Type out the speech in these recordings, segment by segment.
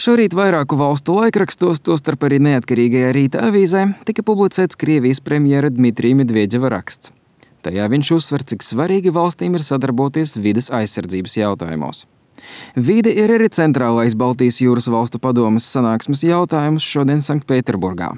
Šorīt vairāku valstu laikrakstos, tostarp arī neatkarīgajā Rīta avīzē, tika publicēts Krievijas premjera Dmitrija Medvedeva raksts. Tajā viņš uzsver, cik svarīgi valstīm ir sadarboties vides aizsardzības jautājumos. Vide ir arī centrālais Baltijas jūras valstu padomes sanāksmes jautājums šodien Sanktpēterburgā.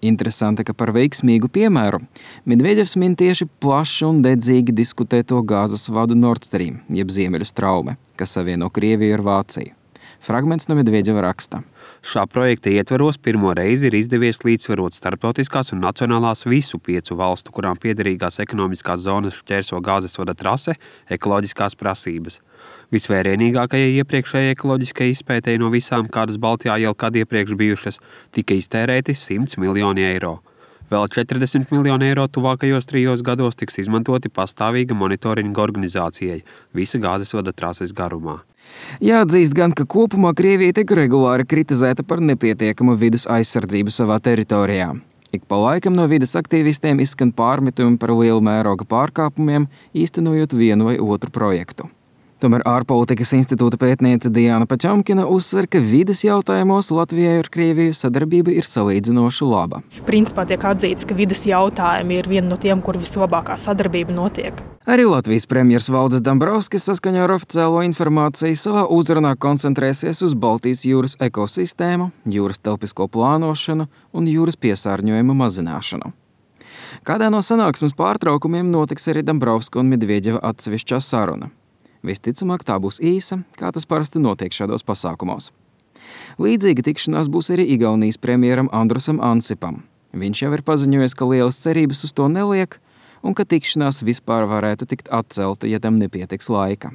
Interesanti, ka par veiksmīgu piemēru Medvedevs min tieši plaši un dedzīgi diskutēto gāzes vadu Nord Stream, jeb Ziemeļu straume, kas savieno Krieviju ar Vāciju. Fragments no Medvedeva raksta. Šā projekta ietvaros pirmo reizi ir izdevies līdzsvarot starptautiskās un nacionālās visu 5 valstu, kurām piederīgās ekonomiskās zonas šķērso gāzes vada trase, ekoloģiskās prasības. Visvērienīgākajai iepriekšējai ekoloģiskajai izpētei no visām, kādas Baltijā jau kad iepriekš bijušas, tika iztērēti 100 miljoni eiro. Vēl 40 miljoni eiro tuvākajos 3 gados tiks izmantoti pastāvīga monitoringa organizācijai visa gāzes vada trases garumā. Jāatzīst gan, ka kopumā Krievija tiek regulāri kritizēta par nepietiekamu vides aizsardzību savā teritorijā. Ik pa laikam no vides aktīvistiem izskan pārmetumi par lielu mēroga pārkāpumiem, īstenojot vienu vai otru projektu. Tomēr ārpolitikas institūta pētniece Diana Pačamkina uzsver, ka vides jautājumos Latvijai ar Krieviju sadarbība ir salīdzinoši laba. Principā tiek atzīts, ka vides jautājumi ir viena no tiem, kur vislabākā sadarbība notiek. Arī Latvijas premjers Valdis Dombrovskis saskaņā ar oficiālo informāciju savā uzrunā koncentrēsies uz Baltijas jūras ekosistēmu, jūras telpisko plānošanu un jūras piesārņojuma mazināšanu. Kādā no sanāksmes pārtraukumiem notiks arī Dombrovska un Medvedeva atsevišķā saruna. Visticamāk, tā būs īsa, kā tas parasti notiek šādos pasākumos. Līdzīga tikšanās būs arī Igaunijas premjeram Andrusam Ansipam. Viņš jau ir paziņojis, ka lielas cerības uz to neliek un ka tikšanās vispār varētu tikt atcelta, ja tam nepietiks laika.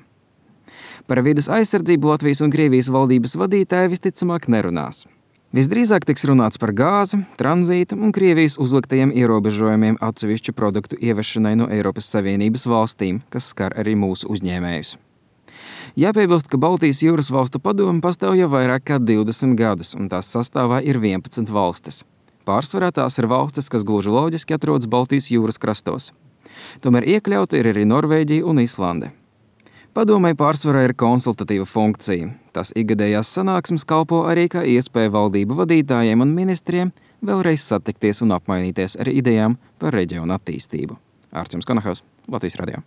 Par vides aizsardzību Latvijas un Krievijas valdības vadītāji visticamāk nerunās. Visdrīzāk tiks runāts par gāzi, tranzītu un Krievijas uzliktajiem ierobežojumiem atsevišķu produktu ievešanai no Eiropas Savienības valstīm, kas skar arī mūsu uzņēmējus. Jāpiebilst, ka Baltijas jūras valstu padome pastāv jau vairāk kā 20 gadus, un tās sastāvā ir 11 valstis. Pārsvarā tās ir valstis, kas gluži loģiski atrodas Baltijas jūras krastos. Tomēr iekļauta ir arī Norvēģija un Islande. Padomei pārsvarā ir konsultatīva funkcija. Tās ikgadējās sanāksmes kalpo arī kā iespēja valdību vadītājiem un ministriem vēlreiz satikties un apmainīties ar idejām par reģionu attīstību. Ārčuns Konahaus, Latvijas radio.